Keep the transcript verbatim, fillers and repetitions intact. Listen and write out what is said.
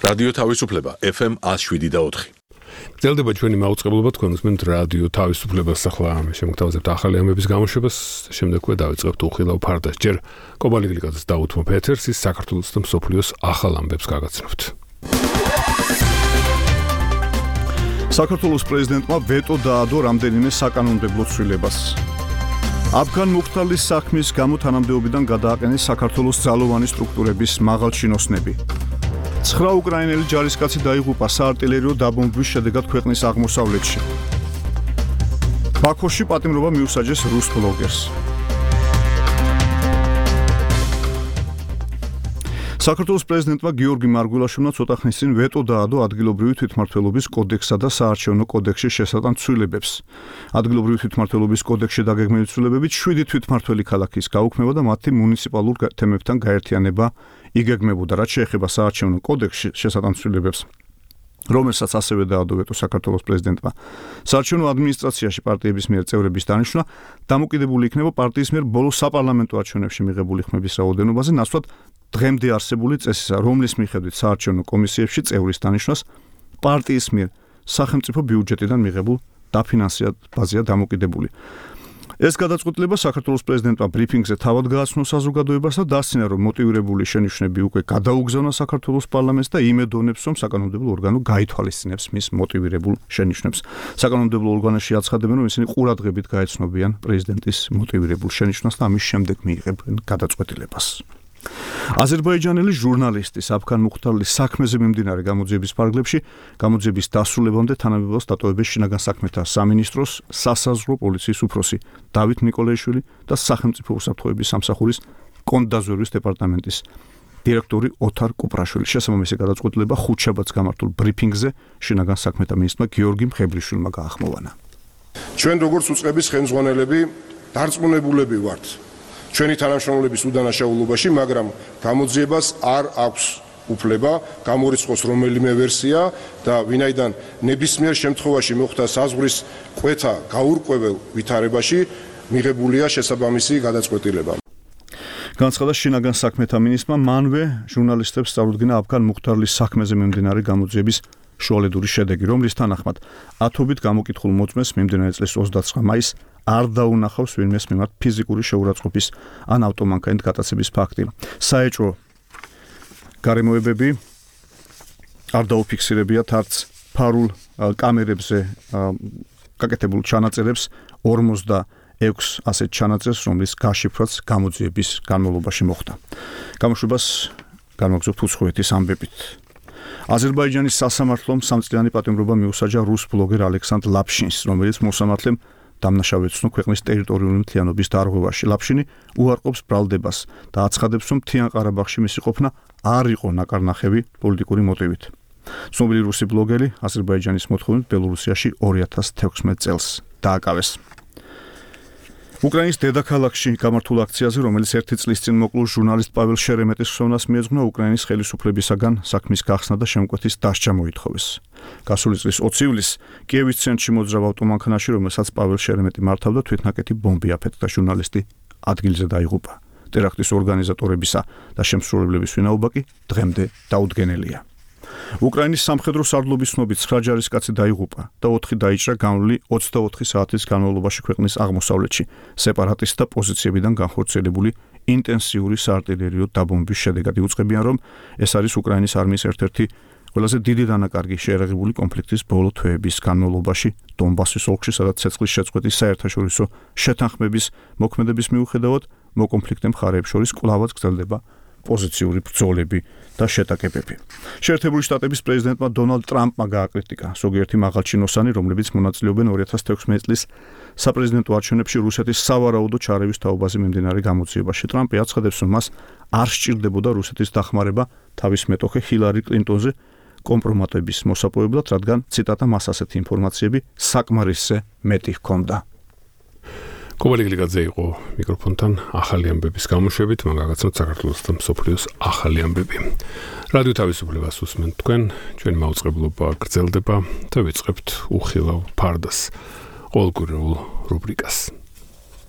რადიო თავისუფლება ეფ ემ ათს შვიდი და ოთხი. გრძელდება ჩვენი მაუწყებლობა, თქვენ უსმენთ რადიო თავისუფლებას. ახლა შემოგთავაზებთ ახალი ამბების გამოშვებას, შემდეგვე დავიწყებთ უხილავ ფარდას. ჯერ კობალი გლიკაძის დაუთმობ ეთერს, ის საქართველოს და მსოფლიოს ახალ ამბებს გაგაცნობთ. საქართველოს პრეზიდენტმა ვეტო დაადო რამდენიმე საკანონმდებლო ცვლილებას. აფგან მუხტალის საქმის გამო თანამდებობიდან გადააყენეს საქართველოს ძალოვანი სტრუქტურების მაღალჩინოსნები. ცხრა უკრაინელი ჯარისკაცი დაიღუპა საარტილერიო დაბომბვის შედეგად ქვეყნის აღმოსავლეთში. ბაქოში პატიმრობა მიუსაჯეს რუს ბლოგერს. საქართველოს პრეზიდენტმა გიორგი მარგველაშვილმა ცოტა ხნის წინ ვეტო დაადო ადგილობრივი თვითმმართველობის კოდექსსა და საარჩევნო კოდექსის შესატან ცვლილებებს. ადგილობრივი თვითმმართველობის კოდექსში დაგეგმილი ცვლილებებით შვიდი თვითმმართველი ქალაქის გაუქმება და მათი მუნიციპალურ თემებთან გაერთიანება იგეგმებოდა, რაც შეეხება საარჩევნო კოდექსში შესატან ცვლილებებს, რომელსაც ასევე დაადო ვეტო საქართველოს პრეზიდენტმა. საარჩევნო ადმინისტრაციაში პარტიების მიერ წევრების დანიშვნა დამოკიდებული იქნება პარტიის მიერ ბოლო საპარლამენტო არჩევნებში მიღებული ხმების რაოდენობაზე, ნაცვლად დღემდე არსებული წესისა, რომლის მიხედვით საარჩევნო კომისიებში წევრის დანიშვნას პარტიის მიერ სახელმწიფო ბიუჯეტიდან მიღებულ დაფინანსებაზეა დამოკიდებული. ეს გადაწყვეტილება საქართველოს პრეზიდენტმა ბრიფინგზე თავად გააცნო საზოგადოებას და დასცინა, რომ მოტივირებული შენიშვნები უკვე გადაუგზავნა საქართველოს პარლამენტს და იმედოვნებს, რომ საკანონმდებლო ორგანო გაითვალისწინებს მის მოტივირებულ შენიშვნებს. საკანონმდებლო ორგანოში აცხადებენ, რომ ისინი ყურადღებით გაეცნობიან პრეზიდენტის მოტივირებულ შენიშვნას და ამის შემდეგ მიიღებენ გადაწყვეტილებას. აზერბაიჯანელი ჟურნალისტის აფგან მუხტალის საქმეზე მიმდინარე გამოძიების ფარგლებში გამოძიების დასრულებამდე თანამდებობას დატოვებენ შინაგან საქმეთა სამინისტროს სასაზღვრო პოლიციის უფროსი დავით ნიკოლაიშვილი და სახელმწიფო უსაფრთხოების სამსახურის კონდაზვერვის დეპარტამენტის დირექტორი ოთარ კუპრაშვილი. შესაბამისი გადაწყვეტილება ხუთშაბათს გამართულ ბრიფინგზე შინაგან საქმეთა მინისტრმა გიორგი მხებრიშვილმა გაახმოვანა. ჩვენ როგორც უწყების ხელმძღვანელები დარწმუნებულები ვართ ჩვენი თანამშრომლების უდანაშაულობაში, მაგრამ გამოძიებას არ აქვს უფლება გამორიცხოს რომელიმე ვერსია და ვინაიდან ნებისმიერ შემთხვევაში მოხდა საზღვრის კვეთა გაურკვეველ ვითარებაში მიღებულია შესაბამისი გადაწყვეტილება. განცხადა შინაგან საქმეთა მინისტრმა მანვე ჟურნალისტებს სწავლდგინა აფგან მუხტარლის საქმეზე მიმდინარე გამოძიების შუალედური შედეგი, რომლის თანახმად ათობით გამოკითხულ მოწმეს მიმდინარე წლის ოცდაცხრა მაისს არ დაუნახავს ვინმეს მიმართ ფიზიკური შეურაცხყოფის ან ავტომანქანით გატაცების ფაქტი. საეჭვო გარემოებები არ დაუფიქსირებიათ არც ფარულ კამერებზე გაკეთებულ ჩანაწერებს ორმოცდაექვს ასეთ ჩანაწერს, რომლის გაშიფრვაც გამოძიების განმავლობაში მოხდა. გამოშვებას განვაგრძობთ უცხოეთის ამბებით. აზერბაიჯანის სასამართლომ სამწლიანი პატიმრობა მიუსაჯა რუს ბლოგერ ალექსანდრ ლაფშინს, რომელიც მოსამართლემ დამნაშავე ეცნო ქვეყნის ტერიტორიული მთლიანობის დარღვევაში. ლაფშინი უარყოფს ბრალდებას და აცხადებს, რომ მთიან ყარაბაღში მისი ყოფნა არ იყო ნაკარნახევი პოლიტიკური მოტივით. ცნობილი რუსი ბლოგერი აზერბაიჯანის მოთხოვნით ბელორუსიაში ორი ათას თექვსმეტ წელს დააკავეს. უკრაინის დედაქალაქში გამართულ აქციაზე, რომელიც ერთი წლის წინ მოკლულ ჟურნალისტ პაվել შერემეტის ხსოვნას მიეძღვნა, უკრაინის ხელისუფლებისაგან საქმის გახსნა და შემკვეთის დასჯა მოითხოვეს. გასული წლის ოცი ივლისს კიევის ცენტრში მოძრავ ავტომანქანაში, რომელსაც პაվել შერემეტი მართავდა, თვითნაკეთი ბომბი აფეთქდა, ჟურნალისტი ადგილზე დაიღუპა. ტერაქტის ორგანიზატორებისა და შემსრულებლების ვინაობა კი დღემდე დაუდგენელია. უკრაინის სამხედრო სარდლობის ცნობით ცხრა ჯარისკაცი დაიღუპა და ოთხი დაიჭრა განვლილი ოცდაოთხი საათის განმავლობაში ქვეყნის აღმოსავლეთში სეპარატისტთა პოზიციებიდან განხორციელებული ინტენსიური საარტილერიო დაბომბვის შედეგად. იუწყებიან, რომ ეს არის უკრაინის არმიის ერთ-ერთი ყველაზე დიდი დანაკარგი შეერაღებული კონფლიქტის ბოლო თვეების განმავლობაში დონბასის ოლქში, სადაც ცეცხლის შეწყვეტის საერთაშორისო შეთანხმების მოქმედების მიუხედავად მოკონფლიქტე მხარეებს შორის კვლავაც გრძელდება პოზიციური ბრძოლები და შეტაკებები. შეერთებული შტატების პრეზიდენტმა დონალდ ტრამპმა გააკრიტიკა ზოგიერთი მაღალჩინოსანი, რომლებიც მონაწილეობენ ორი ათას თექვსმეტ წლის საპრეზიდენტო არჩევნებში რუსეთის სავარაუდო ჩარევის თაობაზე მიმდინარე გამოძიებაში. ტრამპი აცხადებს, რომ მას არ სჭირდებოდა რუსეთის დახმარება თავის მეტოქე ჰილარი კლინტონზე კომპრომატების მოსაპოვებლად, რადგან ციტატა მას ასეთი ინფორმაციები საკმარისზე მეტი ჰქონდა. კობალი გლიკაძე იყო მიკროფონთან ახალი ამბების გამოშვებით, მან გაგაცნოთ საქართველოს და მსოფლიოს ახალი ამბები. რადიო თავისუფლებას უსმენთ თქვენ, ჩვენი მაუწყებლობა გრძელდება და ვიწყებთ უხილავ ფარდას ყოველკვირეულ რუბრიკას.